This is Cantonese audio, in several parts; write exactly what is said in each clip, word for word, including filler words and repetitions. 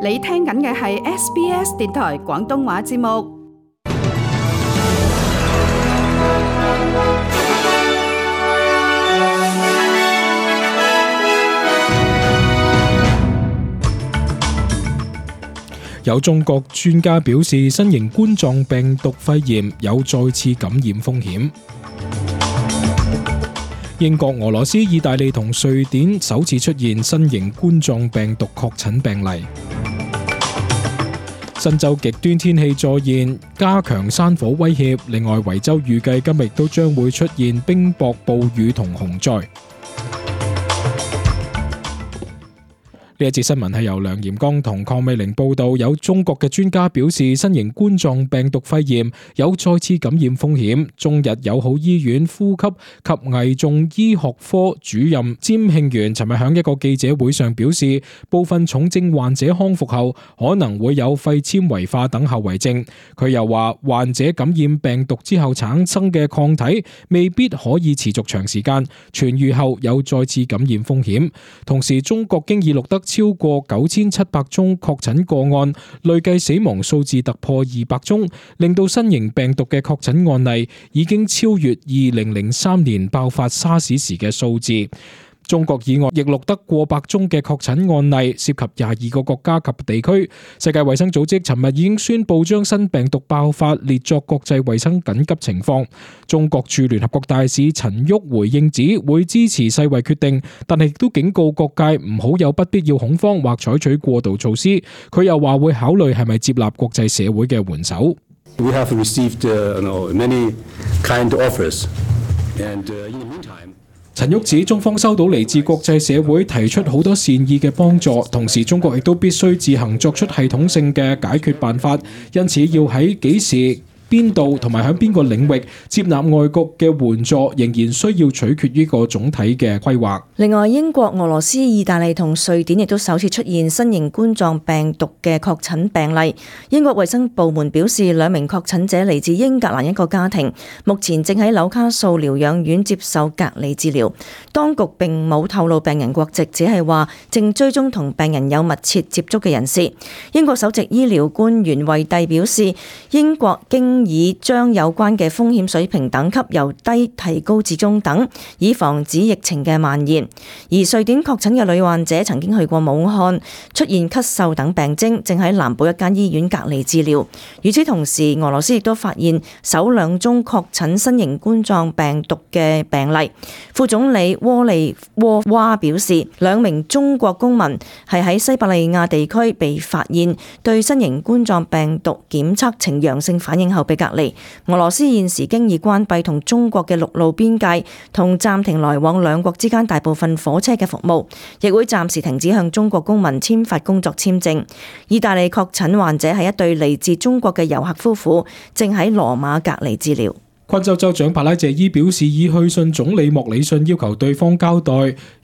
你聽緊嘅係 S B S 電台廣東話節目。有中國專家表示，新型冠狀病毒肺炎有再次感染風險。英國、俄羅斯、意大利同瑞典首次出現新型冠狀病毒確診病例。新州極端天氣再現，加強山火威脅。另外，維州預計今日都將會出現冰雹、暴雨同洪災。呢一節新聞係由梁炎剛同鄺美玲報道。有中國嘅專家表示，新型冠狀病毒肺炎有再次感染風險。中日友好醫院呼吸及危重醫學科主任詹慶元尋日響一個記者會上表示，部分重症患者康復後可能會有肺纖維化等後遺症。佢又話，患者感染病毒之後產生嘅抗體未必可以持續長時間，痊癒後有再次感染風險。同時，中國經已錄得超過九千七百宗確診個案，累計死亡數字突破二百宗，令到新型病毒嘅確診案例已經超越二零零三年爆發沙士時嘅數字。中國以外亦錄得過百宗嘅確診案例，涉及廿二個國家及地區。世界衛生組織尋日已經宣布將新病毒爆發列作國際衛生緊急情況。中國駐聯合國大使陳旭回應指會支持世衛決定，但係亦都警告各界唔好有不必要恐慌或採取過度措施。佢又話會考慮係咪接納國際社會嘅援手。We have received, uh, you know, many kind offers, and, uh, in the meantime,陳旭指中方收到嚟自國際社會提出好多善意嘅幫助，同時中國亦都必須自行作出系統性嘅解決辦法，因此要喺幾時、邊度同埋喺邊個領域接納外國嘅援助，仍然需要取決於個總體嘅規劃。另外，英國、俄羅斯、意大利同瑞典亦都首次出現新型冠狀病毒嘅確診病例。英國衛生部門表示，兩名確診者嚟自英格蘭一個家庭，目前正喺紐卡素療養院接受隔離治療。當局並冇透露病人國籍，只係話正追蹤同病人有密切接觸嘅人士。英國首席醫療官員惠蒂表示，英國經已將有關嘅風險水平等級由低提高至中等，以防止疫情嘅蔓延。而瑞典確診嘅女患者曾經去過武漢，出現咳嗽等病徵，正喺南部一間醫院隔離治療。與此同時，俄羅斯亦都發現首兩宗確診新型冠狀病毒嘅病例。副總理沃利沃娃表示，兩名中國公民係喺西伯利亞地區被發現對新型冠狀病毒檢測呈陽性反應後被隔離。俄羅斯現時經已關閉同中國嘅陸路邊界，同暫停來往兩國之間大部分火車嘅服務，亦會暫時停止向中國公民簽發工作簽證。意大利確診患者係一對嚟自中國嘅遊客夫婦，正喺羅馬隔離治療。昆州州長帕拉謝伊表示，已去信總理莫里遜，要求對方交代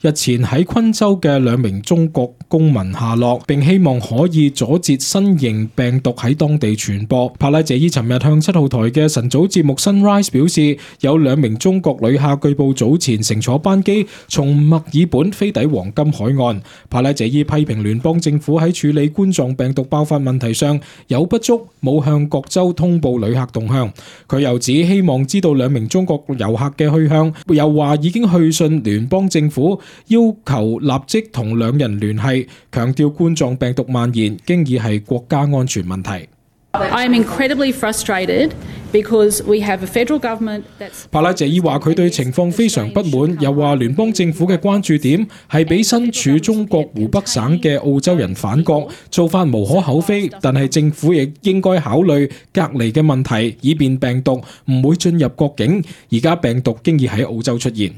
日前喺昆州嘅兩名中國公民下落，並希望可以阻截新型病毒喺當地傳播。帕拉謝伊尋日向七號台嘅晨早節目 Sunrise 表示，有兩名中國旅客據報早前乘坐班機從墨爾本飛抵黃金海岸。帕拉謝伊批評聯邦政府喺處理冠狀病毒爆發問題上有不足，冇向各州通報旅客動向。佢又指希望知道兩名中國遊客嘅去向，又話已經去信聯邦政府，要求立即同兩人聯繫，強調冠狀病毒蔓延經已係國家安全問題。I am incredibly frustrated because we have a federal government that's... 帕拉謝伊話佢對情況非常不滿，又話聯邦政府嘅關注點係俾身處中國湖北省嘅澳洲人返國，做法無可厚非，但係政府亦應該考慮隔離嘅問題，以便病毒唔會進入國境。而家病毒經已喺澳洲出現。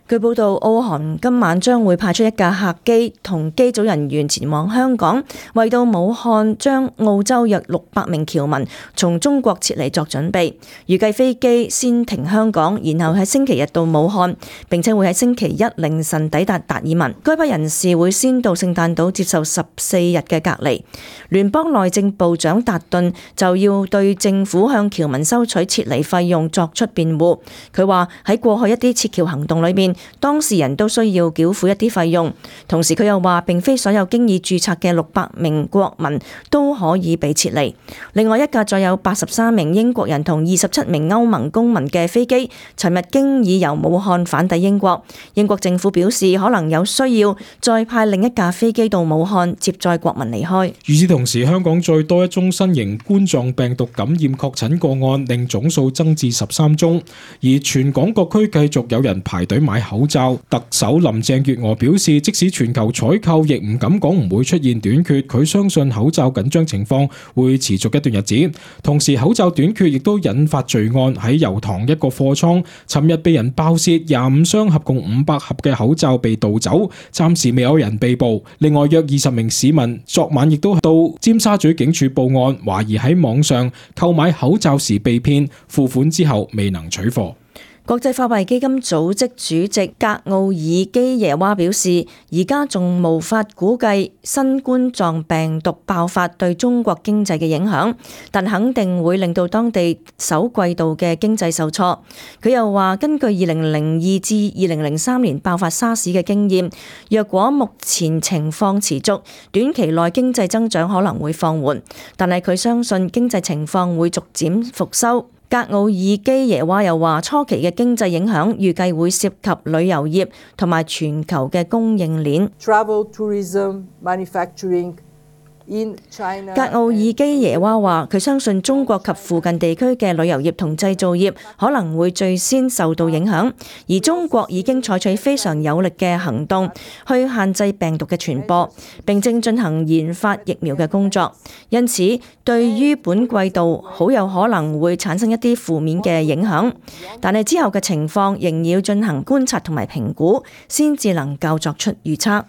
據報道，澳航今晚將會派出一架客機同機組人員前往香港，為到武漢將澳洲約六百名僑民從中國撤離作準備。預計飛機先停香港，然後喺星期日到武漢，並且會喺星期一凌晨抵達達爾文。該批人士會先到聖誕島接受十四日嘅隔離。聯邦內政部長達頓就要對政府向僑民收取撤離費用作出辯護。佢話喺過去一啲撤僑行動裏面，當事人都需要繳付一啲費用。同時佢又話，並非所有經已註冊嘅六百名國民都可以被撤離。另外一架載有八十三名英國人同二十七名歐盟公民嘅飛機，尋日經已由武漢返抵英國。英國政府表示，可能有需要再派另一架飛機到武漢接載國民離開。與此同時，香港再多一宗新型冠狀病毒感染確診個案，令總數增至十三宗。而全港各區繼續有人排隊買口罩。特首林鄭月娥表示，即使全球採購，亦唔敢講唔會出現短缺。佢相信口罩緊張情況會持續一段日子。同時，口罩短缺亦都引發罪案。喺油塘一個貨倉，尋日被人爆竊，廿五箱合共五百盒嘅口罩被盜走，暫時未有人被捕。另外約二十名市民昨晚亦都到尖沙咀警署報案，懷疑喺網上購買口罩時被騙，付款之後未能取貨。國際貨幣基金組織主席格奧爾基耶娃表示，而家仲無法估計新冠狀病毒爆發對中國經濟嘅影響，但肯定會令到當地首季度嘅經濟受挫。佢又話，根據二零零二至二零零三年爆發沙士嘅經驗，若果目前情況持續，短期內經濟增長可能會放緩，但係佢相信經濟情況會逐漸復甦。格奧爾基耶娃又話，初期嘅經濟影響預計會涉及旅遊業同埋全球嘅供應鏈。Travel, tourism, manufacturing. 格奧爾基耶娃話，佢相信中國及附近地區嘅旅遊業同製造業可能會最先受到影響，而中國已經採取非常有力嘅行動去限制病毒嘅傳播，並正進行研發疫苗嘅工作。因此，對於本季度好有可能會產生一啲負面嘅影響，但係之後嘅情況仍要進行觀察同埋評估，先至能夠作出預測。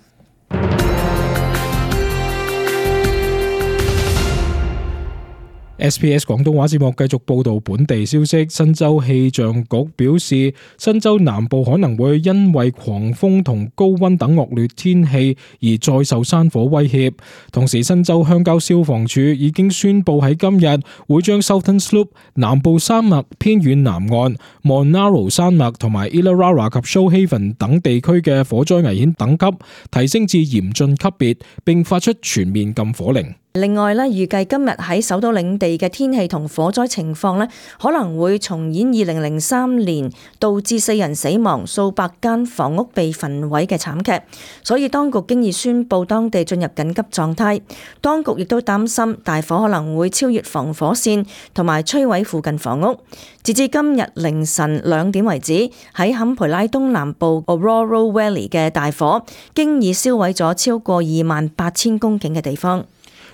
S B S 廣東話節目繼續報導本地消息。新州氣象局表示，新州南部可能會因為狂風同高溫等惡劣天氣而再受山火威脅。同時，新州鄉郊消防處已經宣布喺今日會將 Southern Slope 南部山脈偏遠南岸、Monaro 山脈同埋 Illawarra 及 Shoalhaven 等地區嘅火災危險等級提升至嚴峻級別，並發出全面禁火令。另外咧，預計今日喺首都領地嘅天氣同火災情況咧，可能會重演二零零三年導致四人死亡、數百間房屋被焚毀嘅慘劇，所以當局經已宣布當地進入緊急狀態。當局亦都擔心大火可能會超越防火線同埋摧毀附近房屋。截至今日凌晨兩點為止，喺坎培拉東南部 Ororo Valley 嘅大火經已燒毀咗超過二萬八千公頃嘅地方。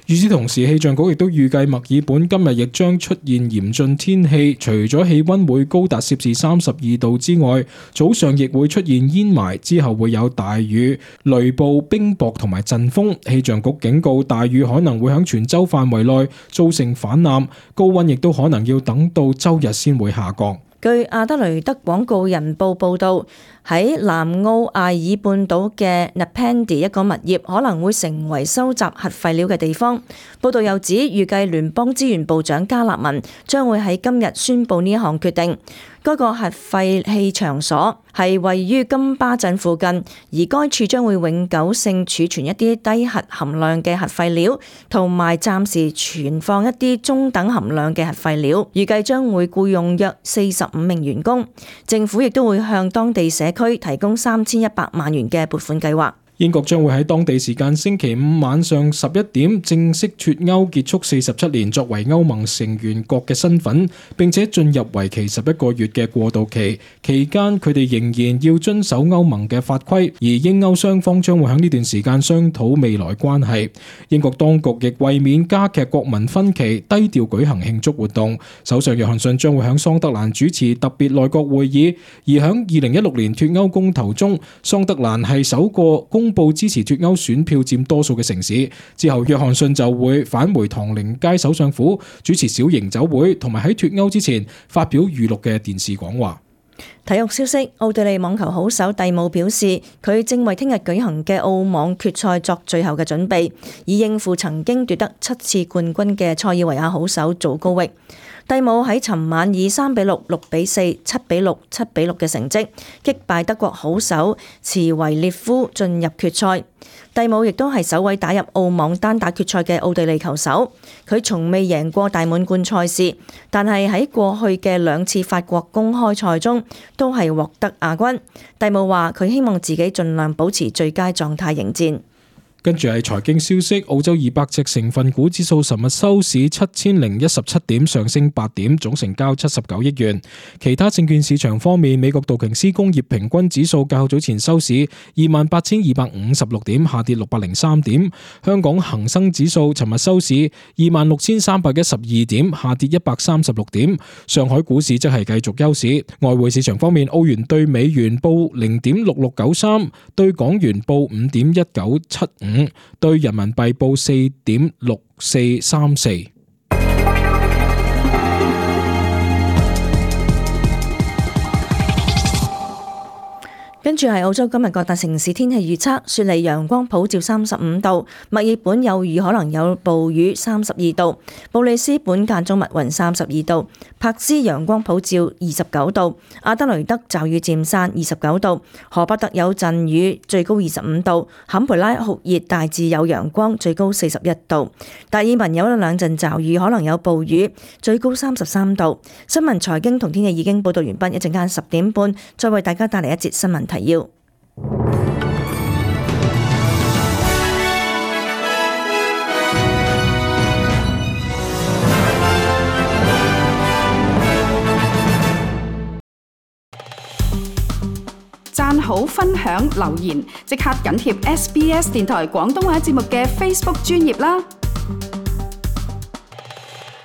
與此同時，氣象局亦都預計墨爾本今日亦將出現嚴峻天氣，除咗氣溫會高達攝氏三十二度之外，早上亦會出現煙霾，之後會有大雨、雷暴、冰雹同埋陣風。氣象局警告，大雨可能會響全州範圍內造成泛濫，高溫亦都可能要等到周日先會下降。據阿德雷德廣告人報報導，喺南澳艾爾半島嘅 Napandi 一個物業可能會成為收集核廢料嘅地方。報導又指，預計聯邦資源部長加納文將會喺今日宣布呢一項決定。該個核廢棄場所係位於金巴鎮附近，而該處將會永久性儲存一啲低核含量嘅核廢料，同埋暫時存放一啲中等含量嘅核廢料。預計將會僱用約四十五名員工。政府亦都會向當地社區提供三千一百萬元嘅撥款計劃。英國將會喺當地時間星期五晚上十一點正式脫歐，結束四十七年作為歐盟成員國嘅身份，並且進入為期十一個月嘅過渡期。期間佢哋仍然要遵守歐盟嘅法規，而英歐雙方將會喺呢段時間商討未來關係。英國當局亦為免加劇國民分歧，低調舉行慶祝活動。首相約翰遜將會喺桑德蘭主持特別內閣會議，而喺二零一六年脫歐公投中，桑德蘭係首個公布支持脫歐選票佔多數嘅城市。之後約翰遜就會返回唐寧街首相府主持小型酒會，同埋喺脫歐之前發表預錄嘅電視講話。體育消息，奧地利網球好手蒂姆表示，佢正為聽日舉行嘅澳網決賽作最後嘅準備，以應付曾經奪得七次冠軍嘅塞爾維亞好手祖高域。蒂姆喺尋晚以三比六、六比四、七比六、七比六嘅成績擊敗德國好手茨維列夫進入決賽。蒂姆亦都係首位打入澳網單打決賽嘅奧地利球手。佢從未贏過大滿貫賽事，但係喺過去嘅兩次法國公開賽中都係獲得亞軍。蒂姆話佢希望自己盡量保持最佳狀態迎戰。跟住係財經消息，澳洲二百隻成分股指數尋日收市七千零一十七點，上升八點，總成交七十九億元。其他證券市場方面，美國道瓊斯工業平均指數較早前收市二萬八千二百五十六點，下跌六百零三點。香港恒生指數尋日收市二萬六千三百一十二點，下跌一百三十六點。上海股市則係繼續休市。外匯市場方面，澳元對美元報零點六六九三，對港元報五點一九七五。對人民幣報四點六四三四。跟住係澳洲今日各大城市天氣預測：雪梨陽光普照三十五度，墨爾本有雨可能有暴雨三十二度，布里斯本間中密雲三十二度，柏斯陽光普照二十九度，阿德雷德驟雨漸散二十九度，荷伯特有陣雨最高二十五度，坎培拉酷熱大致有陽光最高四十一度，達爾文有一兩陣驟雨可能有暴雨最高三十三度。新聞財經同天氣已經報道完畢，一陣間十點半再為大家帶嚟一節新聞提要。讚好、分享、留言，即刻緊貼 S B S 電台廣東話節目嘅 Facebook 專頁啦！